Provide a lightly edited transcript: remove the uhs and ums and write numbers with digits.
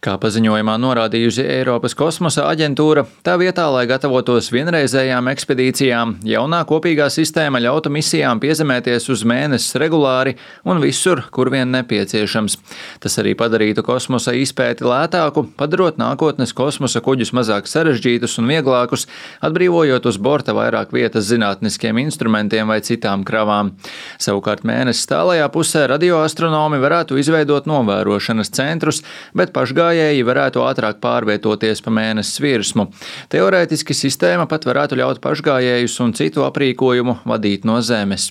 Kā paziņojumā norādījusi Eiropas kosmosa aģentūra, tā vietā, lai gatavotos vienreizējām ekspedīcijām, jaunā kopīgā sistēma ļautu misijām piezemēties uz Mēnesi regulāri un visur, kur vien nepieciešams. Tas arī padarītu kosmosa izpēti lētāku, padarot nākotnes kosmosa kuģus mazāk sarežģītus un vieglākus, atbrīvojot uz borta vairāk vietas zinātniskiem instrumentiem vai citām kravām. Savukārt Mēneses tālajā pusē radioastronomi varētu izveidot novērošanas centrus, bet pašgājēji varētu ātrāk pārvietoties pa Mēneses virsmu. Teorētiski sistēma pat varētu ļaut pašgājējus un citu aprīkojumu vadīt no Zemes.